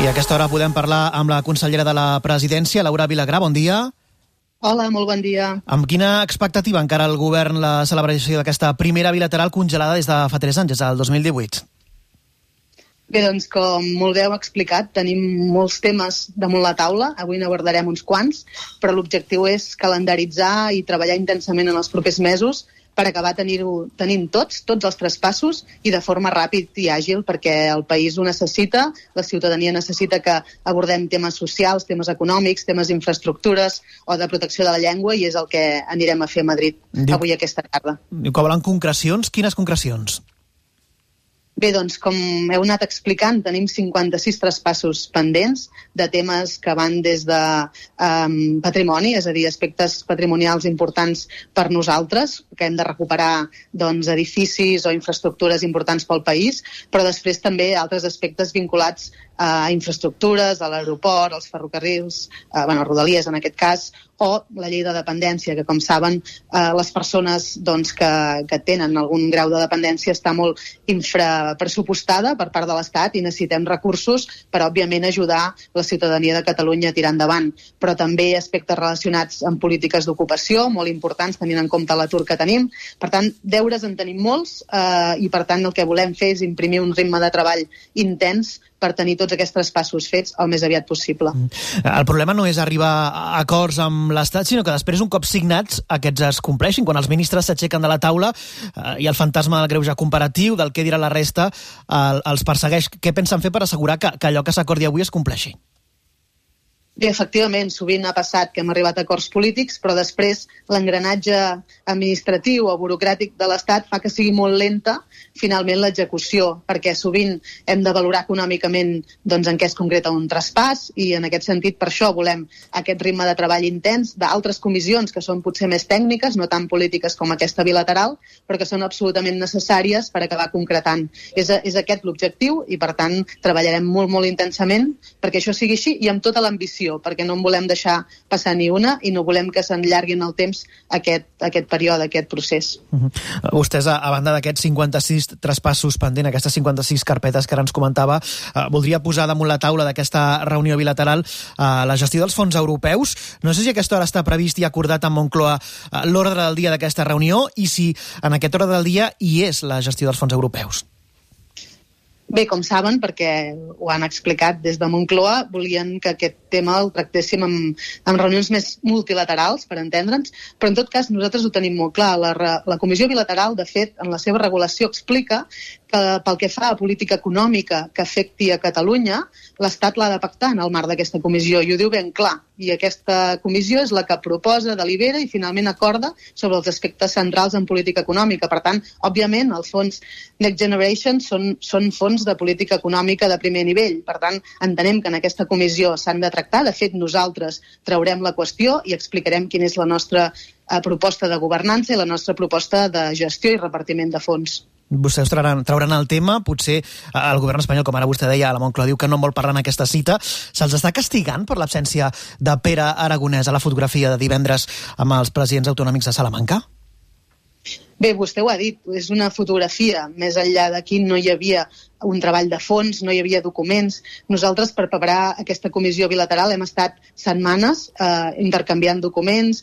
I a aquesta hora podem parlar amb la consellera de la Presidència, Laura Vilagrà. Bon dia. Hola, molt bon dia. Amb quina expectativa encara el govern la celebració d'aquesta primera bilateral congelada des de fa 3 anys, des del 2018? Bé, doncs, com molt bé heu explicat, tenim molts temes damunt la taula. Avui n'abordarem uns quants, però l'objectiu és calendaritzar i treballar intensament en els propers mesos per acabar tenint tots els traspassos i de forma ràpid i àgil, perquè el país ho necessita, la ciutadania necessita que abordem temes socials, temes econòmics, temes d'infraestructures o de protecció de la llengua, i és el que anirem a fer a Madrid avui aquesta tarda. Diu que volen concrecions. Quines concrecions? Bé, doncs, com heu anat explicant, tenim 56 traspassos pendents de temes que van des de patrimoni, és a dir, aspectes patrimonials importants per nosaltres, que hem de recuperar edificis o infraestructures importants pel país, però després també altres aspectes vinculats a infraestructures, a l'aeroport, als ferrocarrils, Rodalies en aquest cas, o la llei de dependència, que com saben les persones que tenen algun grau de dependència està molt infrapressupostada per part de l'Estat i necessitem recursos per, òbviament, ajudar la ciutadania de Catalunya a tirar endavant. Però també aspectes relacionats amb polítiques d'ocupació, molt importants tenint en compte l'atur que tenim. Per tant, deures en tenim molts i, per tant, el que volem fer és imprimir un ritme de treball intens per tenir tots aquests traspassos fets el més aviat possible. El problema no és arribar a acords amb l'Estat, sinó que després, un cop signats, aquests es compleixin. Quan els ministres s'aixequen de la taula i el fantasma del greuge comparatiu, del què dirà la resta, els persegueix. Què pensen fer per assegurar que allò que s'acordi avui es compleixi? Bé, efectivament, sovint ha passat que hem arribat a acords polítics, però després l'engranatge administratiu o burocràtic de l'Estat fa que sigui molt lenta finalment l'execució, perquè sovint hem de valorar econòmicament en què es concreta un traspàs, i en aquest sentit per això volem aquest ritme de treball intens d'altres comissions que són potser més tècniques, no tan polítiques com aquesta bilateral, però que són absolutament necessàries per acabar concretant. És aquest l'objectiu i, per tant, treballarem molt, molt intensament perquè això sigui així i amb tota l'ambició, perquè no en volem deixar passar ni una i no volem que s'enllargui en el temps aquest període, aquest procés. Vostès, a banda d'aquests 56 traspassos pendent, aquestes 56 carpetes que ara ens comentava, voldria posar damunt la taula d'aquesta reunió bilateral la gestió dels fons europeus. No sé si a aquesta hora està previst i acordat amb Moncloa l'ordre del dia d'aquesta reunió i si en aquest ordre del dia hi és la gestió dels fons europeus. Bé, com saben, perquè ho han explicat des de Moncloa, volien que aquest tema el tractéssim en reunions més multilaterals, per entendre'ns, però en tot cas nosaltres ho tenim molt clar. La Comissió Bilateral, de fet, en la seva regulació explica que pel que fa a política econòmica que afecti a Catalunya, l'Estat l'ha de pactar en el marc d'aquesta comissió, i ho diu ben clar. I aquesta comissió és la que proposa, delibera i finalment acorda sobre els aspectes centrals en política econòmica. Per tant, òbviament, els fons Next Generation són fons de política econòmica de primer nivell. Per tant, entenem que en aquesta comissió s'han de tractar. De fet, nosaltres traurem la qüestió i explicarem quina és la nostra proposta de governança i la nostra proposta de gestió i repartiment de fons. Vostès trauran el tema, potser el govern espanyol, com ara vostè deia, la Moncloa diu que no en vol parlar en aquesta cita. Se'ls està castigant per l'absència de Pere Aragonès a la fotografia de divendres amb els presidents autonòmics de Salamanca? Bé, vostè ho ha dit, és una fotografia. Més enllà d'aquí no hi havia un treball de fons, no hi havia documents. Nosaltres, per preparar aquesta comissió bilateral, hem estat setmanes intercanviant documents,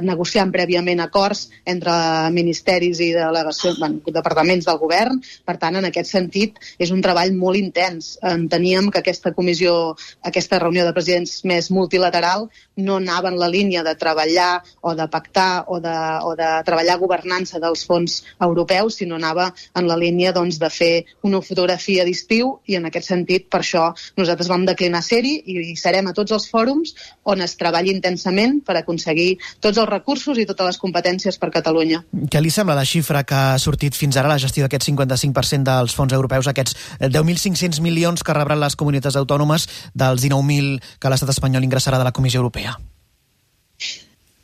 negociant prèviament acords entre ministeris i departaments del govern. Per tant, en aquest sentit, és un treball molt intens. Enteníem que aquesta comissió, aquesta reunió de presidents més multilateral, no anava en la línia de treballar o de pactar o de treballar governança dels fons europeus, sinó anava en la línia de fer una fotografia d'estiu, i en aquest sentit, per això, nosaltres vam declinar ser-hi i serem a tots els fòrums on es treballi intensament per aconseguir tots els recursos i totes les competències per Catalunya. Què li sembla la xifra que ha sortit fins ara, la gestió d'aquest 55% dels fons europeus, aquests 10.500 milions que rebran les comunitats autònomes dels 19.000 que l'estat espanyol ingressarà de la Comissió Europea?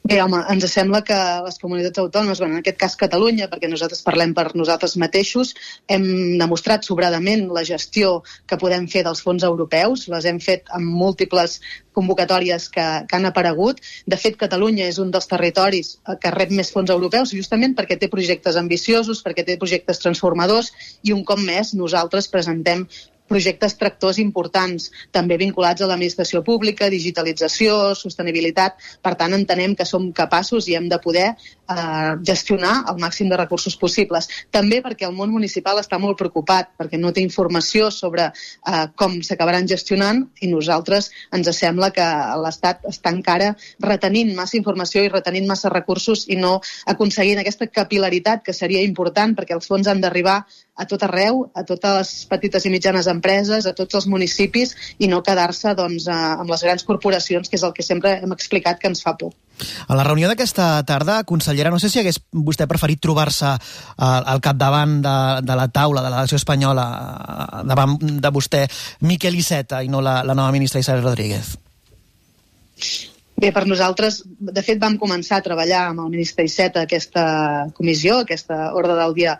Bé, home, ens sembla que les comunitats autònomes, en aquest cas Catalunya, perquè nosaltres parlem per nosaltres mateixos, hem demostrat sobradament la gestió que podem fer dels fons europeus, les hem fet amb múltiples convocatòries que han aparegut. De fet, Catalunya és un dels territoris que rep més fons europeus justament perquè té projectes ambiciosos, perquè té projectes transformadors, i un cop més nosaltres presentem projectes tractors importants, també vinculats a l'administració pública, digitalització, sostenibilitat. Per tant, entenem que som capaços i hem de poder gestionar el màxim de recursos possibles. També perquè el món municipal està molt preocupat, perquè no té informació sobre com s'acabaran gestionant, i nosaltres ens sembla que l'Estat està encara retenint massa informació i retenint massa recursos i no aconseguint aquesta capil·laritat que seria important, perquè els fons han d'arribar a tot arreu, a totes les petites i mitjanes empreses, a tots els municipis, i no quedar-se amb les grans corporacions, que és el que sempre hem explicat que ens fa por. A la reunió d'aquesta tarda, consellera, no sé si hagués vostè preferit trobar-se al capdavant de la taula de la delegació espanyola davant de vostè Miquel Iceta i no la nova ministra Isabel Rodríguez. Bé, per nosaltres, de fet, vam començar a treballar amb el ministre Iceta aquesta comissió, aquesta ordre del dia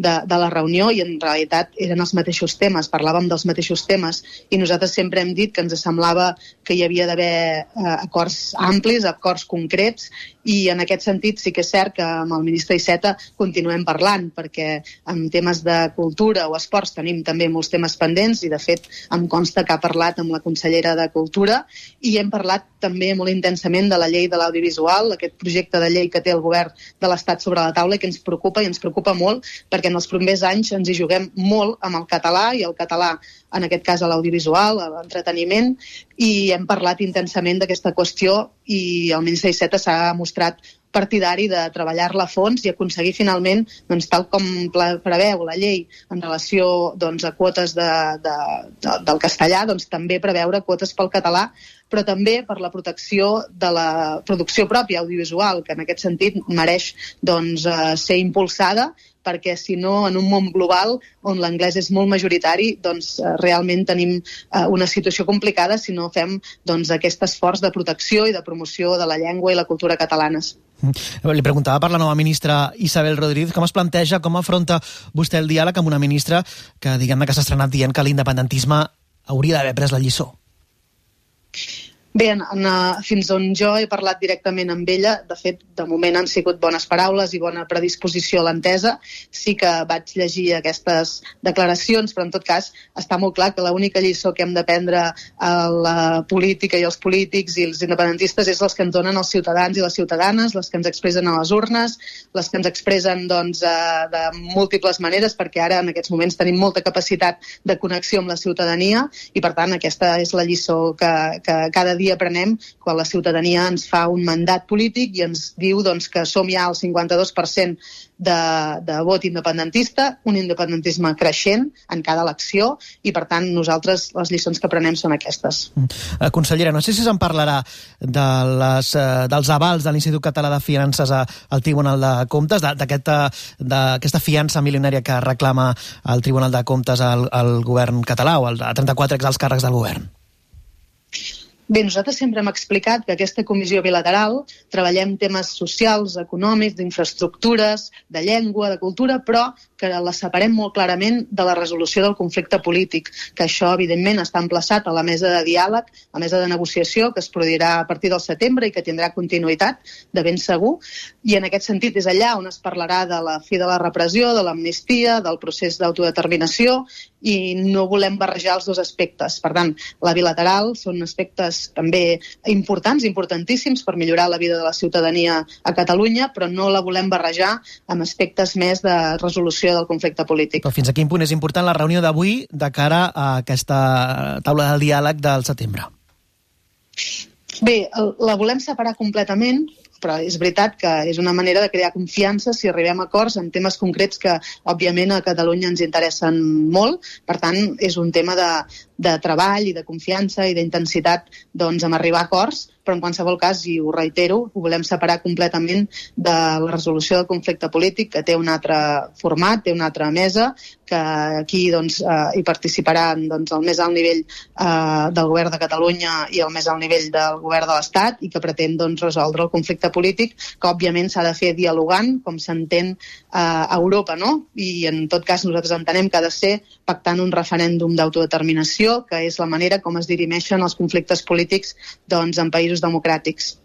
de la reunió, i en realitat eren els mateixos temes, parlàvem dels mateixos temes, i nosaltres sempre hem dit que ens semblava que hi havia d'haver acords amplis, acords concrets, i en aquest sentit sí que és cert que amb el ministre Iceta continuem parlant, perquè en temes de cultura o esports tenim també molts temes pendents, i de fet em consta que ha parlat amb la consellera de Cultura, i hem parlat també molt intensament de la llei de l'audiovisual, aquest projecte de llei que té el govern de l'Estat sobre la taula, i que ens preocupa, i ens preocupa molt, perquè en els primers anys ens hi juguem molt amb el català, i el català, en aquest cas a l'audiovisual, a l'entreteniment, i hem parlat intensament d'aquesta qüestió, i el ministre Iceta s'ha mostrat partidari de treballar-la a fons i aconseguir finalment, doncs, tal com preveu la llei en relació a quotes del castellà, doncs, també preveure quotes pel català, però també per la protecció de la producció pròpia audiovisual, que en aquest sentit mereix ser impulsada, perquè si no, en un món global on l'anglès és molt majoritari, doncs realment tenim una situació complicada si no fem aquest esforç de protecció i de promoció de la llengua i la cultura catalanes. Li preguntava per la nova ministra Isabel Rodríguez, com es planteja, com afronta vostè el diàleg amb una ministra que, diguem-ne, que s'ha estrenat dient que l'independentisme hauria d'haver pres la lliçó? Bé, fins on jo he parlat directament amb ella, de fet, de moment han sigut bones paraules i bona predisposició a l'entesa. Sí que vaig llegir aquestes declaracions, però en tot cas està molt clar que l'única lliçó que hem d'aprendre a la política i els polítics i els independentistes és les que ens donen els ciutadans i les ciutadanes, les que ens expressen a les urnes, les que ens expressen de múltiples maneres, perquè ara en aquests moments tenim molta capacitat de connexió amb la ciutadania, i per tant aquesta és la lliçó que cada dia aprenem quan la ciutadania ens fa un mandat polític i ens diu que som ja al 52% de vot independentista, un independentisme creixent en cada elecció, i per tant nosaltres les lliçons que aprenem són aquestes. Consellera, no sé si se'n parlarà dels avals de l'Institut Català de Finances al Tribunal de Comptes, d'aquesta fiança milionària que reclama el Tribunal de Comptes al govern català o a 34 exalts càrrecs del govern. Bé, nosaltres sempre hem explicat que aquesta comissió bilateral treballem temes socials, econòmics, d'infraestructures, de llengua, de cultura, però que la separem molt clarament de la resolució del conflicte polític, que això, evidentment, està emplaçat a la mesa de diàleg, a la mesa de negociació, que es produirà a partir del setembre i que tindrà continuïtat, de ben segur, i en aquest sentit és allà on es parlarà de la fi de la repressió, de l'amnistia, del procés d'autodeterminació, i no volem barrejar els dos aspectes. Per tant, la bilateral són aspectes també importants, importantíssims per millorar la vida de la ciutadania a Catalunya, però no la volem barrejar amb aspectes més de resolució del conflicte polític. Però fins a quin punt és important la reunió d'avui de cara a aquesta taula del diàleg del setembre? Bé, la volem separar completament, però és veritat que és una manera de crear confiança si arribem a acords en temes concrets que, òbviament, a Catalunya ens interessen molt. Per tant, és un tema de treball i de confiança i d'intensitat en arribar a acords, però en qualsevol cas, i ho reitero, ho volem separar completament de la resolució del conflicte polític, que té un altre format, té una altra mesa, que aquí hi participaran el més alt nivell del govern de Catalunya i el més alt nivell del govern de l'Estat, i que pretén resoldre el conflicte polític, que òbviament s'ha de fer dialogant, com s'entén a Europa, no? I en tot cas nosaltres entenem que ha de ser pactant un referèndum d'autodeterminació, que és la manera com es dirimeixen els conflictes polítics en països països democràtics.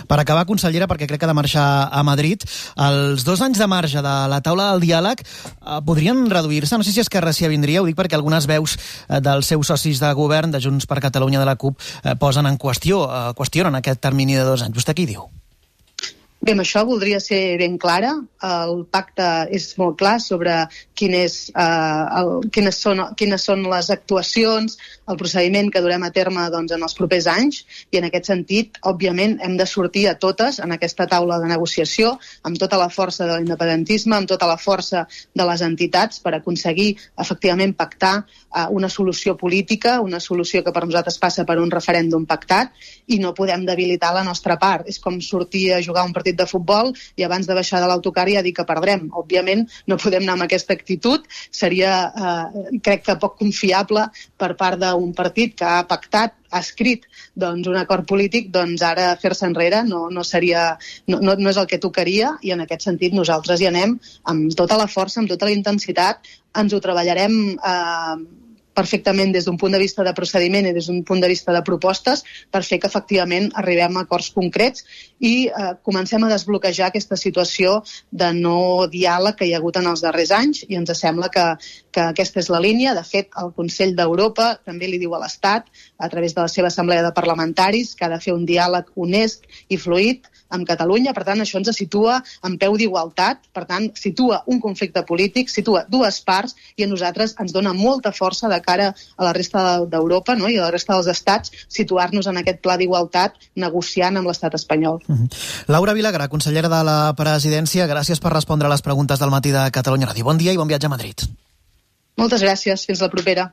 Per acabar, consellera, perquè crec que ha de marxar a Madrid, els 2 anys de marge de la taula del diàleg podrien reduir-se? No sé si Esquerra s'hi avindria, ho dic perquè algunes veus dels seus socis de govern, de Junts per Catalunya, de la CUP, posen en qüestionen aquest termini de 2 anys. Vostè què hi diu? Bé, amb això voldria ser ben clara. El pacte és molt clar sobre quines són les actuacions, el procediment que durem a terme en els propers anys, i en aquest sentit, òbviament, hem de sortir a totes en aquesta taula de negociació, amb tota la força de l'independentisme, amb tota la força de les entitats, per aconseguir efectivament pactar una solució política, una solució que per nosaltres passa per un referèndum pactat, i no podem debilitar la nostra part. És com sortir a jugar un partit de futbol i abans de baixar de l'autocar ja dir que perdrem. Òbviament no podem anar amb aquesta actitud, seria crec que poc confiable per part d'un partit que ha pactat, ha escrit un acord polític, ara fer-se enrere no és el que tocaria, i en aquest sentit nosaltres hi anem amb tota la força, amb tota la intensitat, ens ho treballarem perfectament des d'un punt de vista de procediment i des d'un punt de vista de propostes per fer que efectivament arribem a acords concrets i comencem a desbloquejar aquesta situació de no diàleg que hi ha hagut en els darrers anys, i ens sembla que aquesta és la línia. De fet, el Consell d'Europa també li diu a l'Estat, a través de la seva assemblea de parlamentaris, que ha de fer un diàleg honest i fluid amb Catalunya. Per tant, això ens situa en peu d'igualtat, per tant, situa un conflicte polític, situa dues parts, i a nosaltres ens dona molta força de cara a la resta d'Europa, no? I a la resta dels estats, situar-nos en aquest pla d'igualtat negociant amb l'estat espanyol. Laura Vilagrà, consellera de la Presidència, gràcies per respondre a les preguntes del matí de Catalunya Ràdio. Bon dia i bon viatge a Madrid. Moltes gràcies. Fins la propera.